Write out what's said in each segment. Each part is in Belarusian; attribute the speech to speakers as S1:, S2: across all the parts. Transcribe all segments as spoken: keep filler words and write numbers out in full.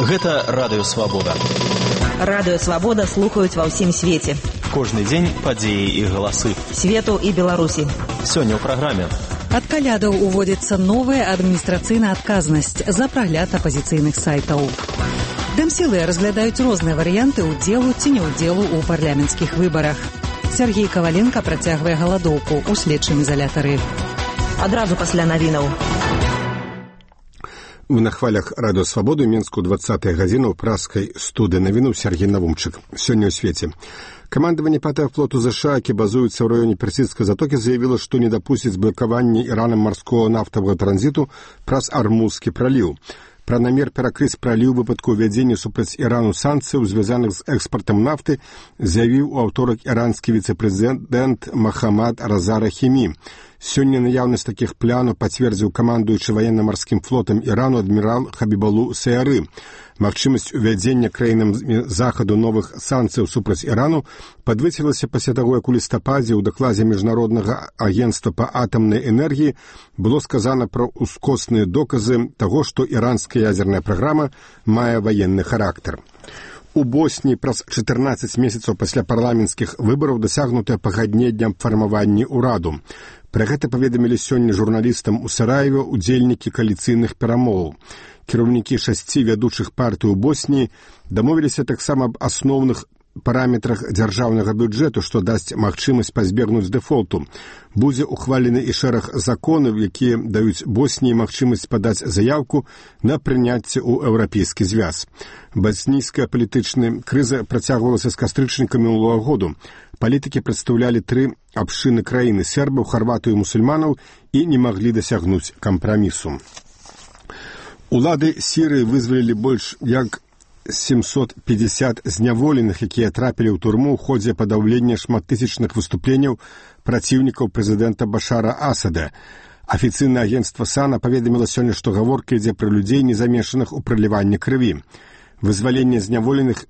S1: Гэта Радыё Свабода.
S2: Радыё Свабода слухаюць ва ўсім свеце.
S1: Кожны дзень падзеі і галасы.
S2: Свету і Беларусі.
S1: Сёння ў праграме.
S3: Ад калядаў уводзіцца новая адміністрацыйная адказнасць за прагляд апазіцыйных сайтаў. Дэмсілы разглядаюць розныя варыянты ўдзелу ці неўдзелу ў парламенцкіх выбарах. Сергей Каваленка працягвае галадоўку ў следчым изолятары.
S2: Адразу пасля навінаў.
S4: Мы на хвалях Радыё Свабоды Мінску двадцатая гадзіна ў праскай студыі навінуў Сергей Навумчык. Сёння ў свеце. Камандаванне пятага флоту ЗША, які базуецца ў раёне Персідскай затокі, заявіла, што не дапусціць блакавання Іранам марскога нафтавага транзіту праз Армузскі праліў. Пра намер перакрыць праліў у выпадку ўвядзення супраць Ірану санкцыяў, звязаных з экспартам нафты, заявіў у аўторак іранскі віцэ-прэзідэнт Махамад Раза Рахімі. Сёння наяўнасць такіх планаў пацвердзіў камандуючы ваенна-марскім флотам Ірану адмірал Хабібалу Саяры. Магчымасць увядзення краінам захаду новых санкцыяў супраць Ірану падвысілася пасля таго, як у лістападзе ў дакладзе Міжнароднага агенцтва па атамнай энергіі было сказана пра ускосныя доказы таго, што іранская ядзерная праграма мае ваенны характар. У Босніі праз чатырнаццаць месяцаў пасля парламенцкіх выбараў дасягнутае пагадненне аб фармаванні ўраду. Пра гэта паведамілі сёння журналістам у Сараеве удзельнікі кааліцыйных перамоваў. Кіраўнікі шасці вядучых партый у Босніі дамовіліся таксама аб асноўных параметрах дзяржаўнага бюджэту, што дасць магчымасць пазбегнуць дэфолту. Будзе ухвалены і шэраг законаў, якія даюць Босніі магчымасць падаць заяўку на прыняцце ў еўрапейскі звяз. Боснійская палітычная крыза працягвалася з кастрычніка мінулага году. Палітыкі прадстаўлялі тры абшчыны краіны – сербаў, харватаў і мусульманаў і не маглі дасягнуць кампрамісу. Улады Сірыі вызвалілі больш як семьсот пятьдесят зняволеных, якія трапілі ў турму ў ходзе падаўлення шматтысячных выступленняў праціўнікаў прэзідэнта Башара Асада. Афіцыйнае агенцтва САНА паведаміла сёння, што гаворка ідзе пра людзей, не замешаных у праліванні крыві. Вызваленне зняволеных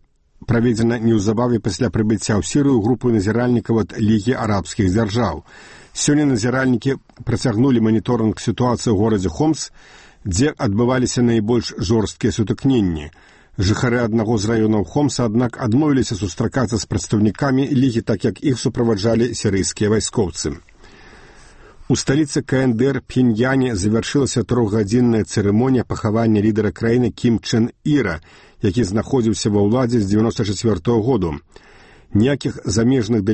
S4: праведзена неўзабаве пасля прыбыцця ў Сірыю групы назіральнікаў ад Лігі арабскіх дзяржаў. Сёння назіральнікі працягнулі маніторынг сітуацыі ў горадзе Хомс, дзе адбываліся найбольш жорсткія сутыкненні. Жыхары аднаго з раёнаў Хомса, аднак, адмовіліся сустракацца з прадстаўнікамі Лігі, так як іх суправаджалі сірыйскія вайскоўцы. У сталіцы КНДР Пхеньяне завяршылася трохгадзінная цырымонія пахавання лідара краіны Кім Чен Іра, які знаходзіўся ва ўладзе з дзевяноста чацвёртага году. Ніякіх замежных